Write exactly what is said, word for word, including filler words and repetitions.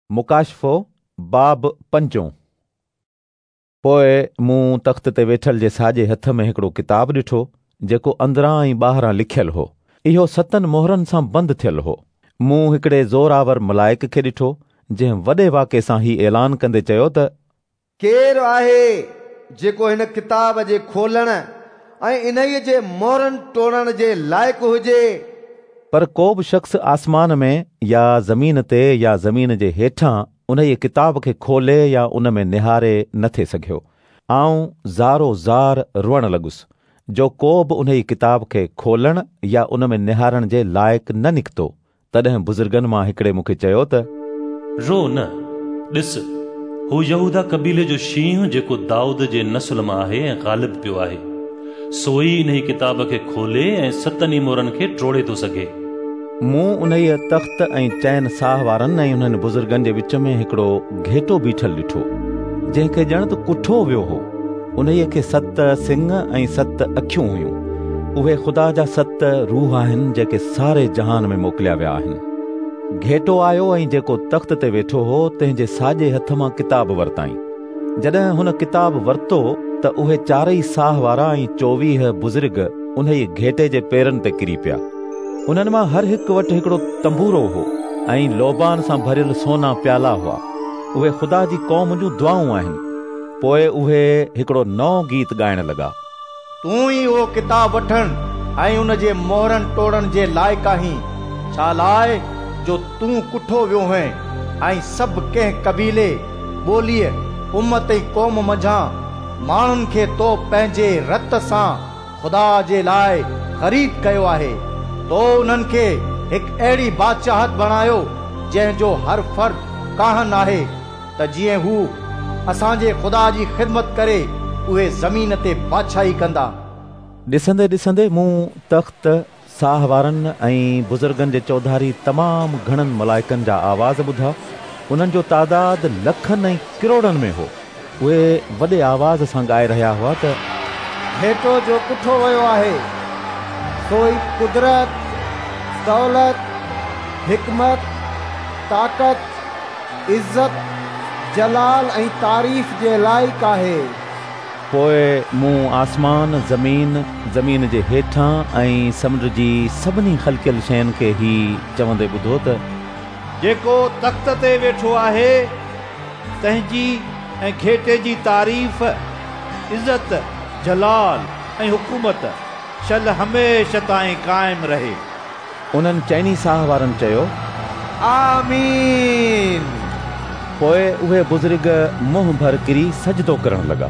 मुकाशफ़ो बाब पंजों। पोइ मूं तख़्त ते वेठल जे साॼे हथ में हिकिड़ो किताब ॾिठो जेको अंदरां ऐं ॿाहिरां लिखियल हो। इहो सतनि मोहरनि सां बंदि थियल हो। मूं हिकिड़े ज़ोरावर मलाइक खे ॾिठो जंहिं वॾे वाके सां ही ऐलान कंदे चयो त केरु आहे जेको हिन किताब जे खोलण ऐं इन्हीअ जे मोहरनि टोड़ण जे लाइक़ हुजे। पर को बि शख़्स आसमान में या ज़मीन ते या ज़मीन जे हेठां उन्हीअ किताब खे खोले या उन में निहारे न थे सघियो। आउं ज़ारो ज़ार रोअण लॻुसि जो को बि उन्हीअ किताब खे खोलण या उन में निहारण जे लाइक़ न निकितो। तॾहिं बुज़ुर्गनि मां हिकिड़े मूंखे चयो त रो न, ॾिस हू यहूदा क़बीले जो शींहुं जेको दाऊद जे नस्ल मां आहे ऐं ग़ालिब पियो आहे, सो ई इन्ही किताब खे खोले ऐं सतनि मोहरनि खे टोड़े थो सघे। मूं उन्हीअ तख़्त ऐं चइनि साह वारनि ऐं उन्हनि बुज़ुर्गनि जे विच में हिकिड़ो घेटो बीठल ॾिठो जंहिंखे ॼण त कुठो वियो हो। उन्हीअ खे सत सिंग ऐं सत अखियूं हुयूं। उहे ख़ुदा जा सत रूह आहिनि जेके सारे जहान में मोकिलिया विया आहिनि। घेटो आयो ऐं जेको तख़्त ते वेठो हो तंहिंजे साॼे हथ मां किताब वरिताईं। जॾहिं हुन किताब वरितो त उहे चारई साह वारा ऐं चोवीह बुज़ुर्ग उन्हीअ घेटे जे पेरनि ते किरी पिया। उन्हनि मां हर हिकु वटि हिकिड़ो तंबूरो हो ऐं लोबान सां भरियल सोना प्याला हुआ। उहे ख़ुदा जी क़ौम जूं दुआऊं आहिनि। पोइ उहे हिकिड़ो नओं गीत ॻाइण लॻा। तूं ई उहो किताब वठण ऐं उन जे मोहरनि टोड़ण जे लाइक़ आहीं, छा लाइ जो तूं कुठो वियो हुएं ऐं सभु कंहिं क़बीले, ॿोलीअ, उमत ऐं क़ौम मंझां माण्हुनि खे तो पंहिंजे रत सां ख़ुदा जे लाइ ख़रीद कयो आहे। तो उन्हनि खे हिकु अहिड़ी बादशाहत बणायो जंहिंजो हर फ़र्द काहन आहे, त जीअं हू असांजे ख़ुदा जी ख़िदमत करे उहे ज़मीन ते बादशाही कंदा। ॾिसंदे ॾिसंदे मूं तख़्त, साह वारनि ऐं बुज़ुर्गनि जे चौधारी तमामु घणनि मलाइकनि जा आवाज़ ॿुधा। उन्हनि जो तादाद लखनि ऐं किरोड़नि में हो। उहे वॾे आवाज़ सां ॻाए रहिया हुआ त घेटो जो कुठो वियो आहे सो ई कुदरत, दौलत, हिकमत, ताक़त, इज़त, जलाल ऐं तारीफ़ जे लाइक़ आहे। पोइ मूं आसमान, ज़मीन, ज़मीन जे हेठां ऐं समुंड जी सभिनी ख़लकियल शयुनि खे ही चवंदे ॿुधो त जेको तख़्त ते वेठो आहे तंहिंजी ऐं घेटे जी तारीफ़, इज़त, जलाल ऐं हुकूमत शल हमेशह ताईं क़ाइमु रहे। उन्हनि चइनी साह वारनि चयो आमीन। पोइ उहे बुज़ुर्ग मुंहुं भर किरी सजदो करण लॻा।